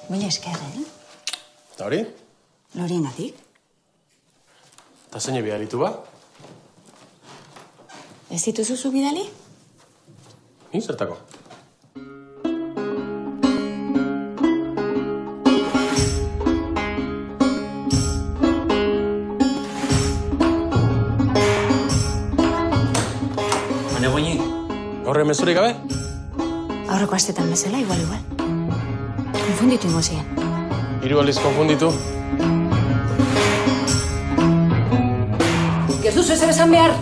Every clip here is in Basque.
Mila esker, Eta hori? Loriengatik. Eta zein bidalitu ba? Ez dituzu bidali? Ni zertako? Baina goini? Gaur mezurik gabe? Aurreko astetan bezala, igual. Konfunditu ingo ziren. 3 aldiz konfunditu. Ez duzu ezer esan behar,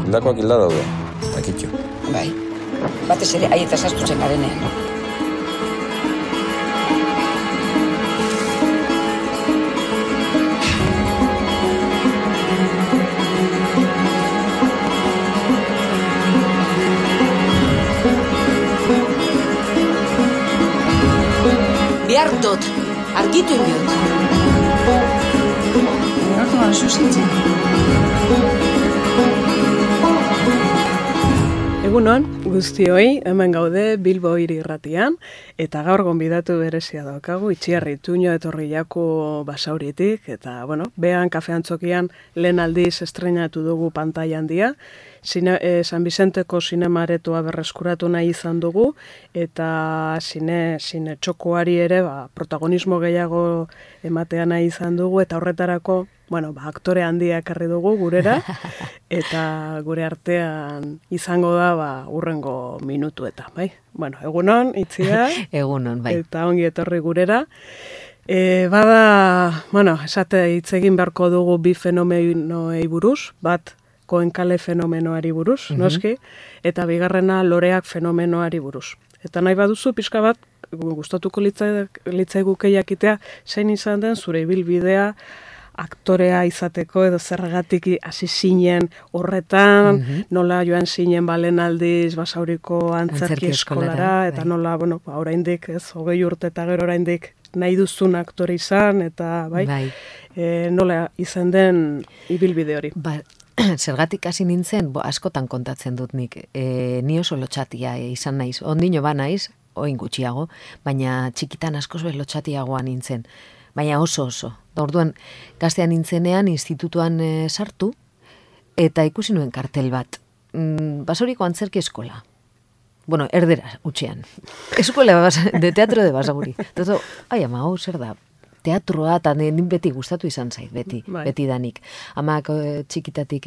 Hildakoak hilda daude, akitxo. Bai, batez ere aietaz astutzen garenean. Bihar dut, argitu indiot. Hortu gara zuzintzen. Egunon, guztioi, hemen gaude Bilbo Hiri Irratian, eta gaur gonbidatu berezia daukagu, Itziarri Tuño etorri jako Basauritik, eta, behan kafeantzokian lehen aldiz estrenatu dugu pantaila handia, San Vicenteko zinemaretoa berreskuratu nahi izan dugu, eta zine txokoari ere protagonismo gehiago ematea nahi izan dugu, eta horretarako, aktore handia ekarri dugu gurera, eta gure artean izango da urrengo minutueta, bai? Egunon, Itzia. Egunon, bai. Eta ongi etorri gurera. Esate hitz egin beharko dugu bi fenomenoei buruz, bat Koenkale fenomenoari buruz, noski, eta bigarrena Loreak fenomenoari buruz. Eta nahi baduzu, pixka bat, gustatuko litzaiguke jakitea, zein izan den zure ibilbidea aktorea izateko edo zergatik hasi zinen horretan, nola joan zinen balen aldiz Basauriko antzerki eskolara, eta nola, oraindik, 20 urte eta gero oraindik nahi duzun aktore izan, eta nola izan den ibilbide hori. Zergatik hasi nintzen, askotan kontatzen dut nik, ni oso lotxatia izan naiz, ondino ba naiz, oin gutxiago, baina txikitan askoz lotxatiagoa nintzen, baina oso. Orduan, gaztean nintzenean institutuan sartu, eta ikusi nuen kartel bat, Basauriko antzerki eskola. Erdera, utxean. Eskola de teatro de Basauri. Toto, zer da? Teatroa, eta beti gustatu izan zait, beti danik. Amak txikitatik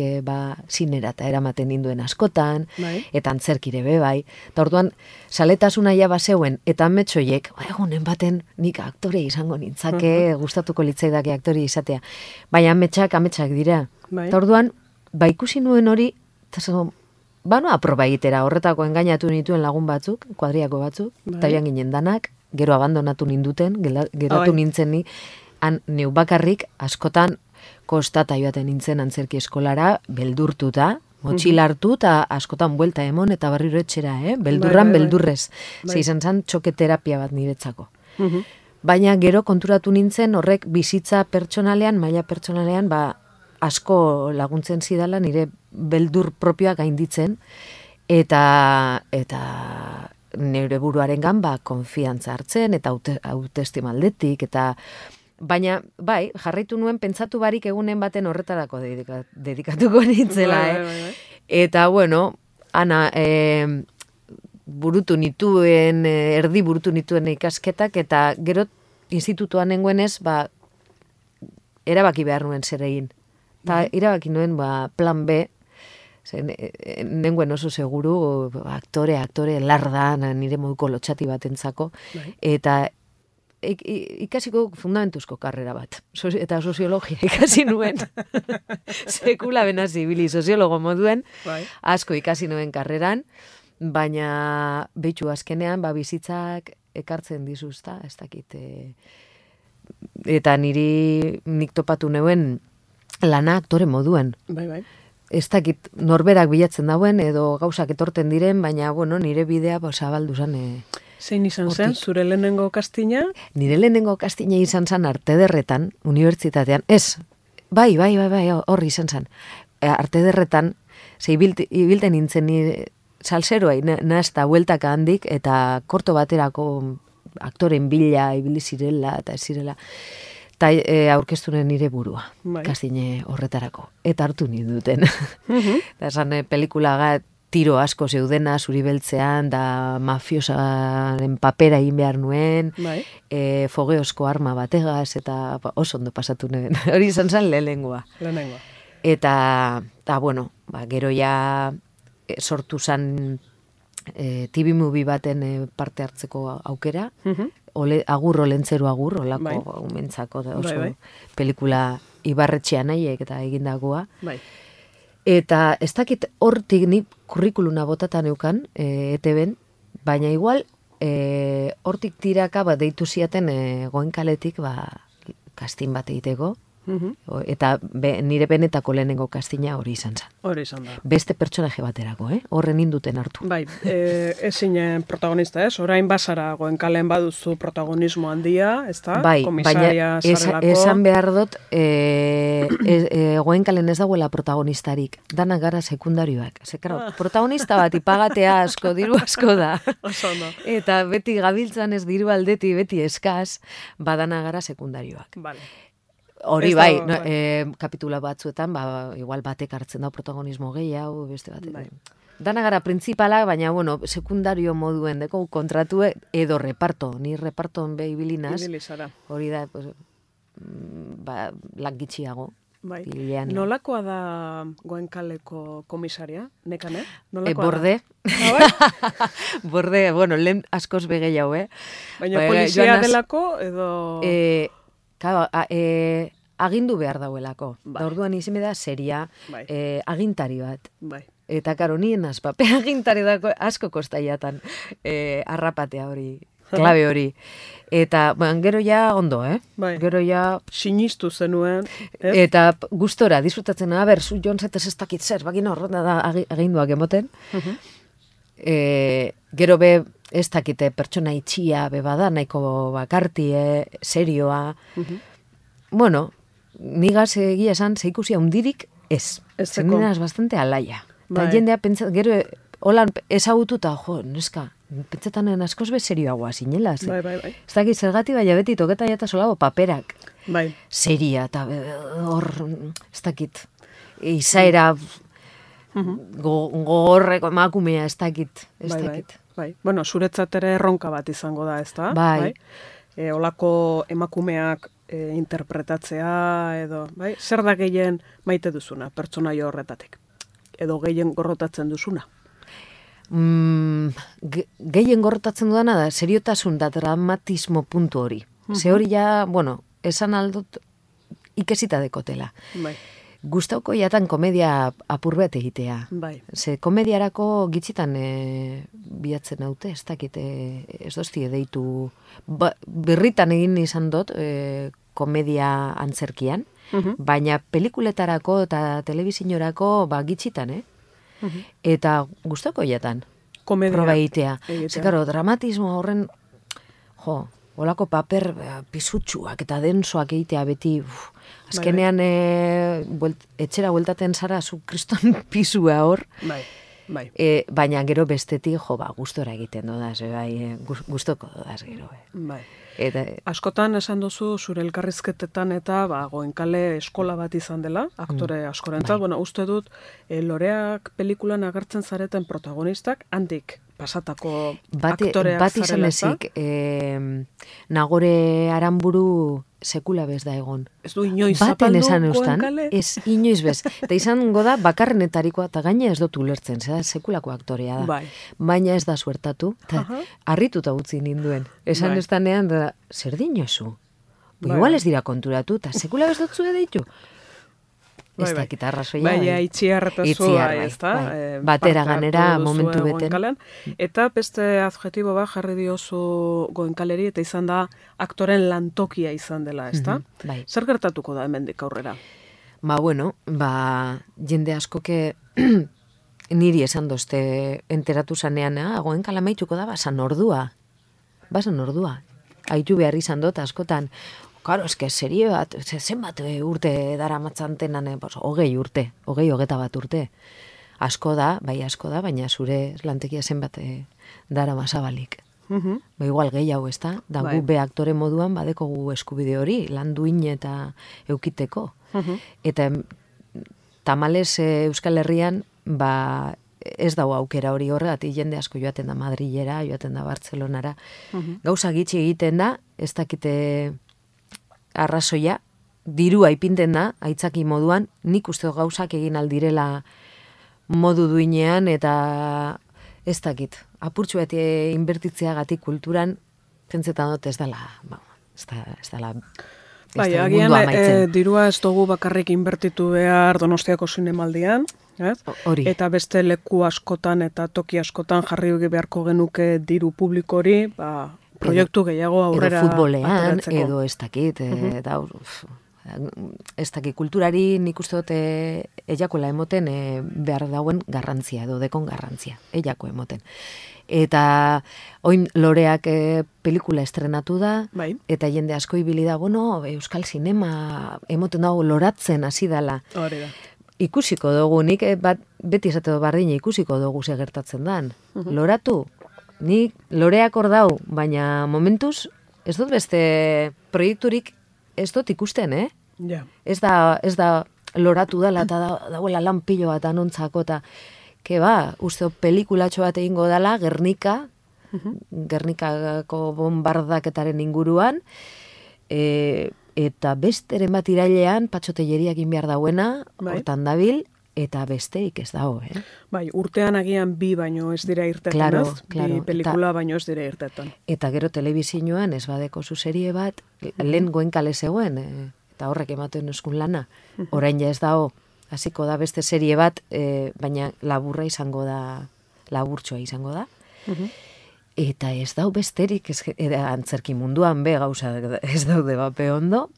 zinera eta eramaten ninduen askotan, eta antzerkire bai. Eta orduan, saletasuna ja bazeuen, eta ametsoiek, egunen baten nik aktore izango nintzake, gustatuko litzaidake aktore izatea. Baina ametsak dira. Eta orduan, ikusi nuen hori, eta aproba egitera, horretako engainatu nituen lagun batzuk, kuadriako batzuk, eta joan ginen danak, gero abandonatu ninduten, geratu nintzen ni, neu bakarrik askotan kostata joaten nintzen antzerki eskolara, beldurtuta, motxila hartu eta askotan buelta emon eta barriro etxera, beldurrez. Ze izan zen txoketerapia bat niretzako. Baina gero konturatu nintzen horrek bizitza pertsonalean, maila pertsonalean, asko laguntzen zidala nire beldur propioa gainditzen, eta nire buruarengan konfiantza hartzen eta autoestima aldetik, eta baina jarraitu nuen pentsatu barik egunen baten horretarako dedikatuko nintzela, Eta ana erdi burutu nituen ikasketak, eta gero institutuan nengoenez erabaki behar nuen zer egin. Eta erabaki nuen plan B, nengoen oso seguru, aktore, lardan, nire moduko lotxati batentzako, eta ikasiko fundamentuzko karrera bat, eta soziologia ikasi nuen, sekula benaz ibili soziologo moduen, asko ikasi nuen karreran, baina behitxu azkenean, bizitzak ekartzen dizuzta, ez dakit, eta nik topatu neuen lana aktore moduen. Ez dakit norberak bilatzen dauen, edo gauzak etorten diren, baina, nire bidea zabaldu zen. Zein izan zen, zure lehenengo kastina? Nire lehenengo kastina izan zen Artederretan, unibertsitatean. Ez, bai, horri izan zen. Artederretan, ibilten nintzen salseroa nahazta bueltaka handik, eta korto baterako aktoren bila ibili zirela, eta ez zirela, eta aurkeztunen nire burua, kastine horretarako, eta hartu ninduten. Eta esan pelikula tiro asko zeudena, zuri beltzean, da mafiosaren papera egin behar nuen, fogeosko arma bategaz, eta oso ondo pasatu nuen. Hori izan zen lehenengoa. Eta bueno, gero ja sortu zen TV movie baten parte hartzeko aukera, agur olentzeru agur, olako umentzako oso pelikula Ibarretxean nahiek eta egindagoa. Eta ez dakit hortik nik kurrikuluna botatan eukan, ETB-en, baina igual hortik tiraka deitu ziaten Goenkaletik kastin bat egiteko, eta nire benetako lehenengo kastina hori izan zen. Hori izan da. Beste pertsonaje baterako, horren induten hartu. Bai, ezinen protagonista ez, orain bazara Goenkalen baduzu protagonismo handia, ez da? Bai, baina esan behar dut, Goenkalen ez dagoela protagonistarik, danak gara sekundarioak. Protagonista bat ipagatea asko, diru asko da. Eta beti gabiltzan ez diru aldeti, beti eskaz, badana gara sekundarioak. Vale. Hori bai, kapitula batzuetan, igual batek hartzen da protagonismo gehiago, beste batek. Dana gara principala, baina, bueno, sekundario moduen deko kontratu edo reparto, ni reparton behi bilinaz. Hori da, langitxiago. Nolakoa da Goenkaleko komisaria, nekane? Borde. Borde, bueno, lehen askoz begeiau, Baina polizia delako edo... agindu behar dauelako. Orduan izime da seria, agintari bat. Eta karo, nien azpape agintari dako asko kostaiatan arrapatea hori, klabe hori. Eta, gero ja ondo, Gero ja... Sinistu zenuen. Eta gustora, disfrutatzen, zu jontzetez ez dakit zer, bagin horreta da aginduak emoten. Gero be, ez dakite pertsona itxia bebada, nahiko bakartie, serioa. Bueno, nigaz egia esan, zeikusia hundirik ez. Zenginaz bastante alaia. Eta jendea pentsa, gero, holan ezagututa, neska, pentsatanen askoz be serioagoa zinela. Ez dakit zergati, baina beti toketa jata solago paperak. Seria, eta hor, ez dakit, izaera gogorreko emakumea, ez dakit. Bueno, zuretzat ere erronka bat izango da, ez da? Olako emakumeak interpretatzea, edo, zer da gehien maite duzuna, pertsonaio horretatik? Edo gehien gorrotatzen duzuna? Gehien gorrotatzen dudana da, seriotasun da dramatismo puntu hori. Ze hori ja, bueno, esan aldut ikesita dekotela. Gustauko jatan komedia apur bat egitea. Ze komediarako gitzitan bilatzen haute, ez dakit, ez dozti deitu, berritan egin izan dut komedia antzerkian, baina pelikuletarako eta telebizinorako gitzitan, eta gustauko jatan proba egitea. Ze, karo, dramatismo horren, olako paper pisutsuak eta densoak egitea beti, azkenean etxera bueltaten zara zu kriston pisua hor, baina gero bestetik, gustora egiten dodaz, gustoko dodaz gero. Askotan esan duzu zure elkarrizketetan eta Goenkale eskola bat izan dela, aktore askorentzat, uste dut Loreak pelikulan agertzen zareten protagonistak, handik pasatako aktoreak bat izan ezik, Nagore Aranburu sekula bez da egon. Ez du inoiz zapaldu Goenkale? Ez inoiz bez. Eta izango da bakarrenetarikoa, eta gaina ez dut ulertzen, zera sekulako aktorea da. Baina ez da suertatu, eta harrituta utzi ninduen. Esan ez danean, zer dinozu? Igual ez dira konturatu, eta sekula bez dut zue deitu. Ez da gitarrazoia. Baina itxiarretazua, ez da? Batera ganera momentu beten. Eta beste adjetibo bat jarri diozu Goenkaleri, eta izan da aktoren lantokia izan dela, ez da? Zer gertatuko da hemendik aurrera? Jende askoke niri esan dozte enteratu zanean, Goenkala maituko da, basan ordua. Haitu behar izan dut askotan. Karo, eske serie bat, zenbat urte dara matzantenan, 20 urte, 21 urte. asko da, baina zure lantekia zenbat dara masabalik. Igual gehiago, ez da? Da gu be aktore moduan badekogu eskubide hori, lan duin eta eukiteko. Eta tamalez Euskal Herrian, ez dago aukera hori horregatik jende asko joaten da Madrilera, joaten da Bartzelonara. Gauza gitxi egiten da, ez dakite arrazoia, dirua ipinten da, aitzaki moduan, nik uste gauzak egin aldirela modu duinean, eta ez dakit, apurtxu beti inbertitzeagatik kulturan, pentsetan dut ez dela, ez dela agian dirua ez dugu bakarrik inbertitu behar Donostiako zinemaldian, eta beste leku askotan eta toki askotan jarri beharko genuke diru publikori, proiektu gehiago aurrera edo futbolean, edo ez dakit, ez dakit, kulturari nik uste dut eiakoela emoten behar dauen garrantzia, edo dekon garrantzia, eiako emoten. Eta oin Loreak pelikula estrenatu da, eta jende asko ibili da, Euskal Zinema emoten dago loratzen hasi dela. Hori da. Ikusiko dugu, nik beti esate bardina ikusiko dugu segertatzen dan. Loratu, nik Loreak hor dau, baina momentuz ez dut beste proiekturik ez dut ikusten, Ez da loratu dela eta dauela lan pilo bat anontzako eta uste pelikulatxo bat egingo dela Gernikako bombardaketaren inguruan, eta besteren bat irailean patxotelleriak egin behar dauena, hortan dabil, eta besterik ez dago, urtean agian bi baino ez dira irtetan, bi pelikula baino ez dira irtetan. Eta gero telebizioan ez badeko zuzerie bat, lehen goenkale zegoen, eta horrek ematen eskun lana, orain ja ez dago, hasiko da beste serie bat, baina laburra izango da, laburtxoa izango da, eta ez dau besterik, antzerki munduan gauza ez daude bape ondo.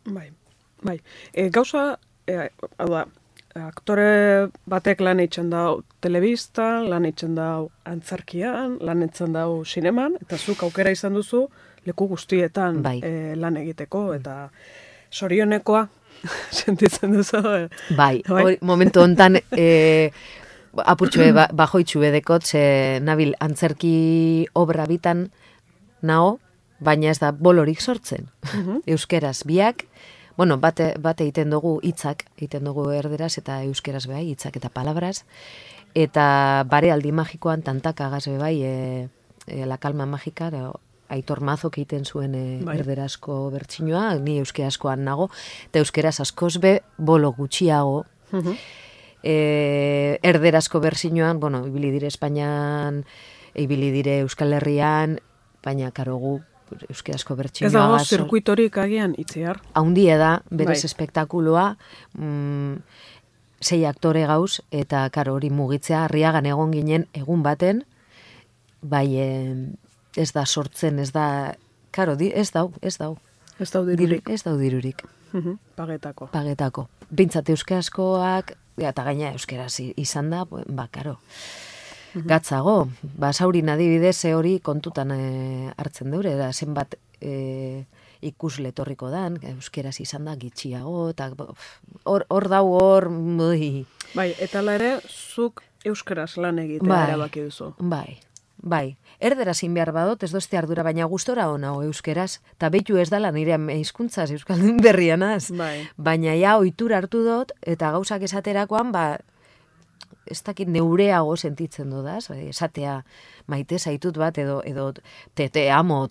Gauza, hau da, aktore batek lan eitzen dau telebistan, lan eitzen dau antzerkian, lan eitzen dau sineman, eta zuk aukera izan duzu leku guztietan lan egiteko, eta sorionekoa sentitzen duzu. Momentu hontan apurtxue bajoitxue dekot, nabil antzerki obra bitan nao, baina ez da bolorik sortzen. Euskeraz biak, bate egiten dugu hitzak, egiten dugu erderaz eta euskeraz behai, hitzak eta palabras, eta bare aldi magikoan tantakagaz bebai, La Calma Magika, Aitor Mazok egiten zuen erderazko bertsinoa, ni euskerazkoan nago, eta euskeraz askoz be bolo gutxiago, erderazko bertsinoan, ibili dire Espainian, ibili dire Euskal Herrian, baina karogu euskerazko bertsinoa. Ez dago zirkuitorik agian itziar? Haundie da, berez espektakuloa, 6 aktore gauz, eta karo hori mugitzea, Arriagan egon ginen egun baten, ez da sortzen, ez da, karo, ez dau. Ez dau dirurik. Ez dau dirurik. Pagetako. Bintzat euskerazkoak, eta gaina euskeraz izan da, karo. Gatzago, saurin adibidez hori kontutan hartzen deure, da zenbat ikusle etorriko dan, euskeraz izan da gitxiago, eta hor dau hor... Eta ere, zuk euskeraz lan egitea erabaki duzu. Bai, erderaz behar badot, ez dozte ardura, baina gustora hona euskeraz, eta behitu ez dala nire hizkuntzaz euskaldun berrianaz. Baina ohitura hartu dut, eta gauzak esaterakoan, ez dakit neureago sentitzen dudaz, esatea maite zaitut bat, edo te amo,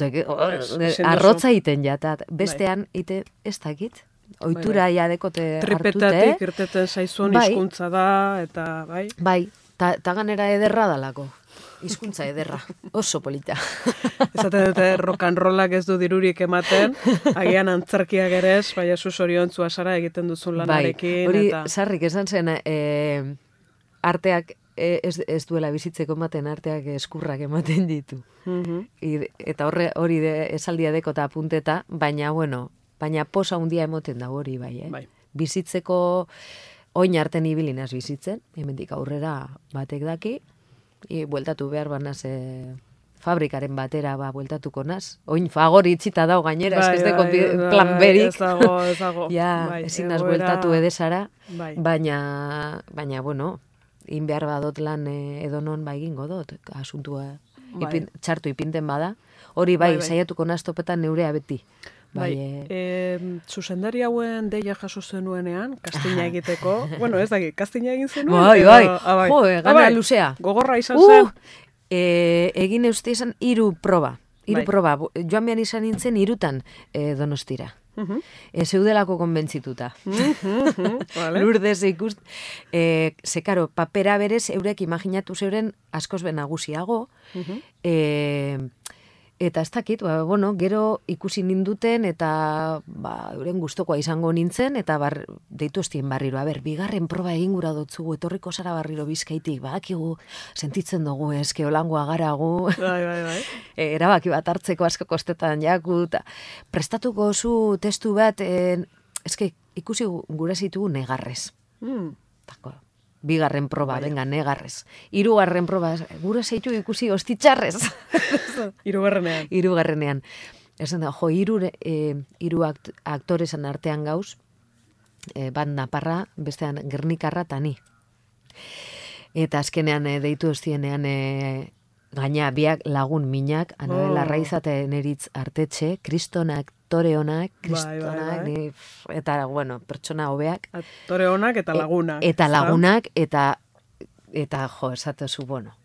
arrotza iten jatat. Bestean, ez dakit, ohitura jadekote hartute. Tripetatik irteten zaizun hizkuntza da, eta bai? Bai, eta ganera ederra dalako. Hizkuntza ederra, oso polita. Ezaten dute rock and rollak ez du dirurik ematen, agian antzerkiak ere ez, baina zu zoriontzua zara egiten duzun lanarekin. Hori sarrik esan zen, arteak ez duela bizitzeko ematen, arteak eskurrak ematen ditu. Eta hori esaldia deko eta apunteta, baina posa handia emoten da hori bai. Bizitzeko oin arten ibilinaz bizitzen, hemendik aurrera batek daki, bueltatu behar banaz fabrikaren batera bueltatuko naz. Oin fagori itxita dau gainera, ez deko plan berik. Ez dago. Ezin naz bueltatu edesara, baina, in behar badot lan edonon egingo dut, asuntua Bai. txartu ipinten bada. Hori bai, Bai. saiatuko naztopetan neurea beti. Bai, zuzendari hauen deia jaso zenuenean, kastina egiteko, bueno, ez dakit, kastina egin zenuen? Bai, edo- bai, bai. jo, gana Bai, luzea. Gogorra izan zen? Egin euste izan 3 proba. 3 Bai. proba. Joan behar izan nintzen 3 Donostira. Zeudelako konbentzituta. Vale. Lourdes ikust. Karo, papera berez, eurek imaginatu zeuren askoz be nagusiago. Eta ez dakit, bueno, gero ikusi ninduten eta euren gustokoa izango nintzen, eta deitu estien barriro, bigarren proba egin gura dotzugu, etorriko zara barriro Bizkaitik, badakigu, sentitzen dugu, eske holangoa garagu, Bai. erabaki bat hartzeko asko kostetan jaku, eta prestatuko zu testu bat, eske ikusi gura zitugu negarrez. Tako, bigarren proba, venga, negarrez. 3. proba, gura zeitu ikusi ostitxarrez. Hirugarrenean. 3. Esan da, hiru aktoresan artean gauz, bat naparra, bestean gernikarra eta ni. Eta azkenean deitu ostienean gaina biak lagun minak, Anabel Arraiza eta Eneritz Artetxe, kriston aktore honak, Bai. eta, bueno, pertsona hobeak. Aktore honak eta lagunak. Eta lagunak, eta jo, esatezu, bueno,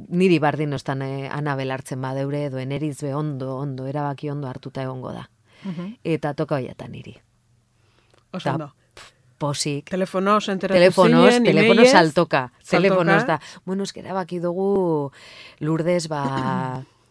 niri bardin ostan Anabel hartzen badeure, edo Eneritz be ondo, erabaki ondo hartuta egongo da. Eta toka hoiatan niri. Oso ondo. Posik. Telefonoz enteratu zinen, Telefonoz saltoka. Saltoka. Telefonoz da. Bueno, eskera baki dugu Lourdes,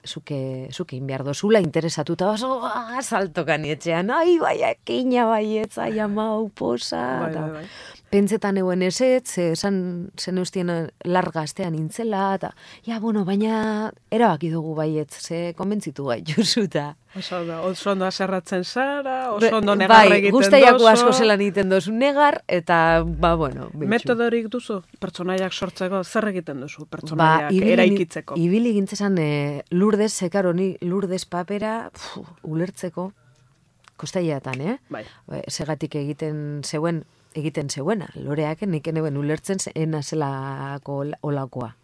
zuke inbiar dozula interesatuta baso, saltoka nietxean, ai, bai, ekina, bai, etzai, amau, posa. Bai. Pentsetan euen ezetz, zen eustien larga astean intzela, eta, bueno, baina erabaki dugu baietz, ze konbentzitu gaituzuta. Oso ondo aserratzen zara, oso ondo negar egiten dozu. Guztaiako asko zelan egiten dozu negar, eta, bueno. Metodorik duzu, pertsonaiak sortzeko, zer egiten duzu pertsonaiak eraikitzeko? Ibili gintzezan Lourdes, zekaro, ni Lourdes papera, ulertzeko, kostaiatan, Bai. Segatik egiten zeuena, loreak nik eneuen ulertzen ena zelako olakoa.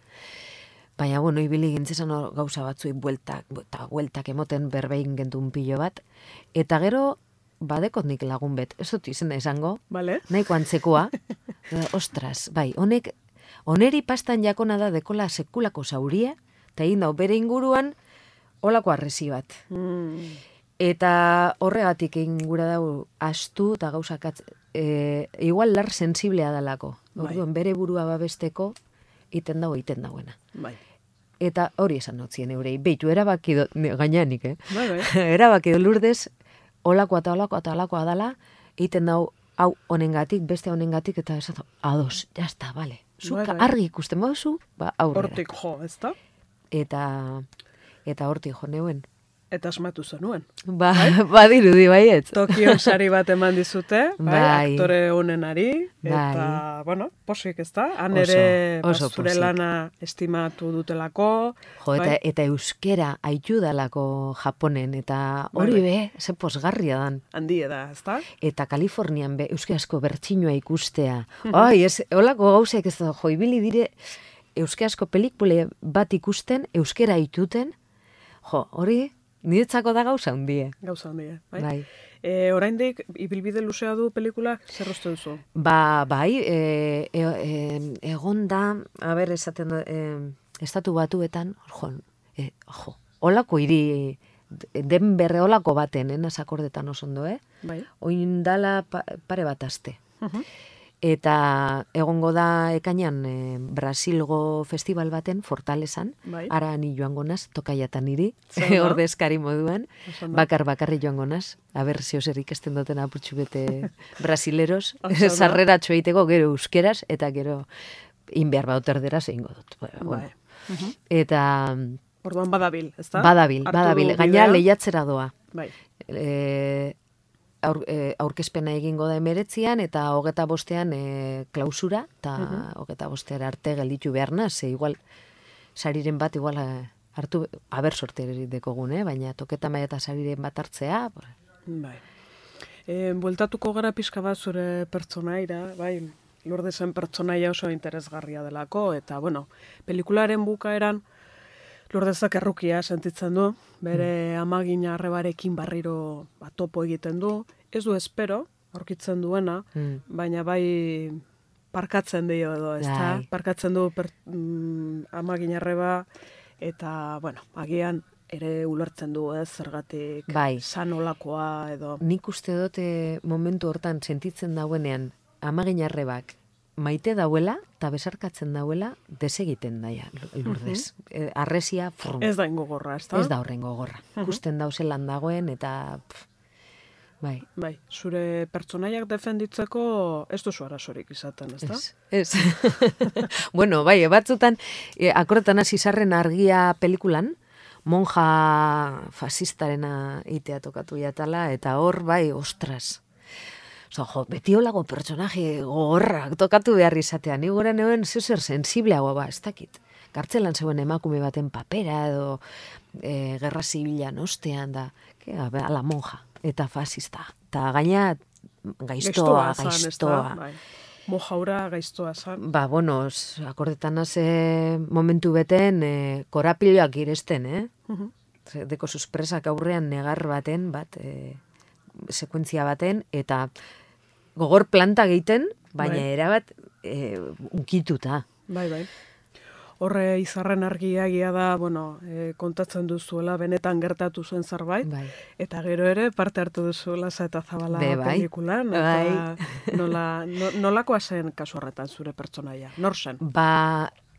Baina, bueno, ibili gintzezan gauza batzui bueltak emoten berbein gentun pilo bat, eta gero, badekot nik lagun bet, ez dut izena esango, Vale. nahiko antzekoa, ostras, bai, oneri pastan jakona da dekola sekulako zauria, eta egin dau bere inguruan, olako arresi bat. Eta horregatik egin gura dau astu eta gauzak igual lar sensiblea dalako. Orduan, bere burua babesteko iten dauena. Bai. Eta hori esan notzien eurei. Beitu, erabaki gainanik, Bai. erabaki Lourdes, olakoa dala, iten dau hau honengatik, beste honengatik, eta esatu, ados, jazta, bale. Zuka argi ikusten bauzu, aurrera. Hortik jo, ez da? Eta hortik jo neuen. Eta asmatu zenuen. Badirudi baietz. Tokion sari bat eman dizute, Bai. aktore honenari, eta, bueno, posik ez da, han ere zure lana estimatu dutelako. Jo, eta euskera aitu dalako Japonen, eta hori be, ze posgarria dan. Handie da, ez da? Eta Kalifornian be, euskarazko bertxinoa ikustea. Ai, holako gauzek ez da, jo, ibili dire, euskarazko pelikule bat ikusten, euskera aituten, jo, hori, niretzako da gauza hundie. Gauza handie, bai. Bai. Oraindik ibilbide luzea du pelikulak, zer uste duzu? Bai, egon da, esaten da, estatu batuetan, holako hiri, Denberre holako baten, nasakordetan oso ondo, Bai. Oindala pare bat aste. Eta egongo da ekainan Brasilgo festival baten, Fortalezan, Bai. ara ni joango naz, tokaiatan niri, Zer da? ordezkari moduan, Oso ondo. bakarri joango naz, aber zeozer ikesten duten apurtxu bete brasileros, Oso ondo. sarreratxo egiteko gero euskeraz, eta gero inbehar baut erderaz egingo dut. Bueno. Eta Orduan badabil, ez da? badabil, gaina lehiatzera doa. Bai. Aurkezpena egingo da 19an eta 25ean klausura, eta 25era arte gelditu behar naz, igual, sariren bat igual hartu, aber sorte dekogun, baina toketa maia eta sariren bat hartzea. Bai. Bueltatuko gara pixka bat zure pertsonaira, bai, Lourdesen pertsonaia oso interesgarria delako, eta, bueno, pelikularen bukaeran Lourdesak errukia sentitzen du, bere amagina arrebarekin barriro topo egiten du, ez du espero, aurkitzen duena, baina bai parkatzen dio edo, ezta? Parkatzen du amagina arreba, eta, bueno, agian ere ulertzen du, zergatik sanolakoa edo. Nik uste dute momentu hortan sentitzen dauenean, amagina arrebak maite dauela, eta besarkatzen dauela, desegiten daia, Lourdes. Arresia, ez da ingogorra, ez da? Ez da horren gogorra. Ikusten dauzelan dagoen, eta... Bai, zure pertsonaiak defenditzeko ez duzu arazorik izaten, ez da? Ez. Bueno, bai, batzutan, akorretan hasi zarren argia pelikulan, monja fasistarena itea tokatu jatala, eta hor, bai, ostras. Beti holago personaje gogorrak tokatu behar izatean. Ni gora neuen zer sensibleagoa ez dakit. Kartzelan zeuen emakume baten papera edo gerra zibilan ostean da, ala monja eta fasista. Eta gaina gaiztoa. Mojaura gaiztoa zan. Bueno, akordetan momentu beten korapiloak iresten, Deko suspresak aurrean negar baten, sekuentzia baten, eta gogor planta egiten, baina erabat unkituta. Bai. Horre izarren argiagia da, kontatzen duzuela, benetan gertatu zuen zerbait, eta gero ere parte hartu duzu Lasa eta Zabala pelikulan, eta nolakoa zen kasu horretan zure pertsonaia? Nor zen?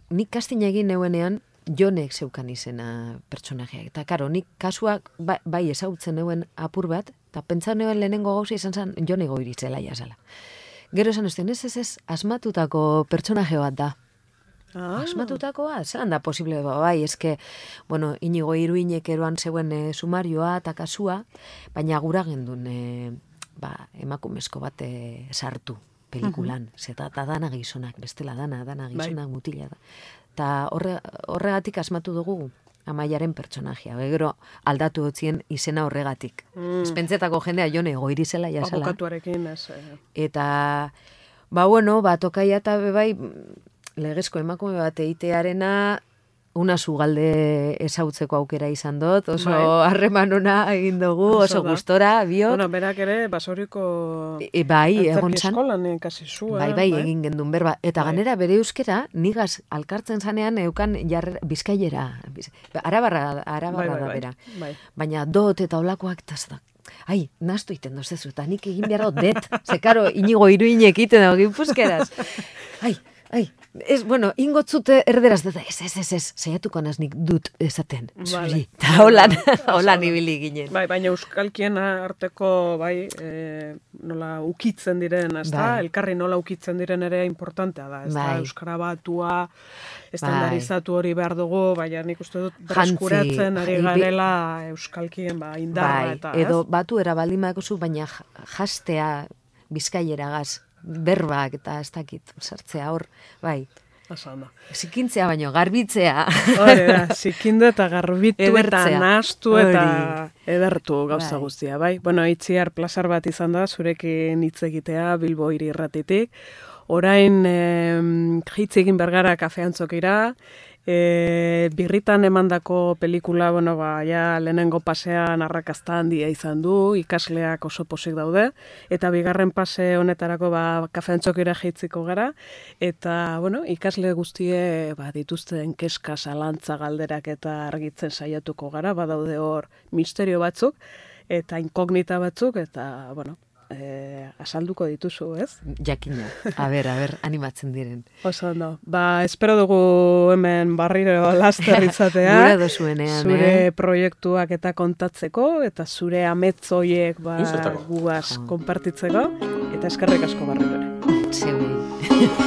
Nik kastin egin neuenean, Jonek zeukan izena pertsonajeak. Eta, karo, nik kasuak bai ezagutzen neuen apur bat, eta pentsan neuen lehenengo gauza izan zen Jone Goiritzela jasala. Gero esan ustean, ez, asmatutako pertsonaje bat da. Asmatutakoa? Zeran da posible, eske, Inigo Iruinek eroan zeuen sumarioa eta kasua, baina gura gendun emakumezko bat sartu pelikulan. Zeta dana gizonak, bestela dana gizonak mutila da. Eta horregatik asmatu dugu Amaiaren pertsonajea. Gero aldatu dutzien izena horregatik. Espentzetako jendea Jone Goirizela jasala. Abokatuarekin ez. Eta, tokaia eta bebai, legezko emakume bat eitearena una zugalde ezautzeko aukera izan dut, oso harreman ona egin dugu, oso gustora, biok. Berak ere, basoriko egon zan. Eskolan kasi zua. Bai, egin gendun berba. Eta ganera bere euskera, nigaz alkartzen zanean eukan bizkailera. Arabarra da bera. Baina dot eta olakoak tazdak. Naztu iten dozezu, eta nik egin behar dut det. Zekaro, Inigo Iruinek iten dago gipuzkeraz. Ingotzute erderaz dut, ez, zeiatuko naznik dut esaten, zuri, eta holan ibili ginen. Baina euskalkien arteko, nola ukitzen diren, elkarri nola ukitzen diren ere importantea da, euskara batua, estandarizatu hori behar dugu, baina nik uste dut bereskuratzen ari garela euskalkien indarra eta, edo batu erabaldin bakozu, baina jastea bizkaieragaz, berbak eta ez dakit, sartzea hor, zikintzea baino, garbitzea. Hore da, zikindu eta garbitu eta nahastu eta edertu gauza guztia, Itziar plazar bat izan da, zurekin hitz egitea Bilbo Hiri Irratitik. Orain hitz egin bergara kafeantzokira, birritan emandako pelikula, lehenengo pasean arrakazta handia izan du, ikasleak oso posik daude, eta bigarren pase honetarako kafeantzokira jeitziko gara, eta, ikasle guztie dituzten keska, zalantza, galderak eta argitzen saiatuko gara, badaude hor misterio batzuk, eta inkognita batzuk, eta, asalduko dituzu, ez? Jakina. A ber, animatzen diren. Oso ondo. Espero dugu hemen barriro laster izatea. Gura dozuenean, zure proiektuak eta kontatzeko, eta zure ametzoiek guaz konpartitzeko, eta eskerrik asko barriro ere. Zeui.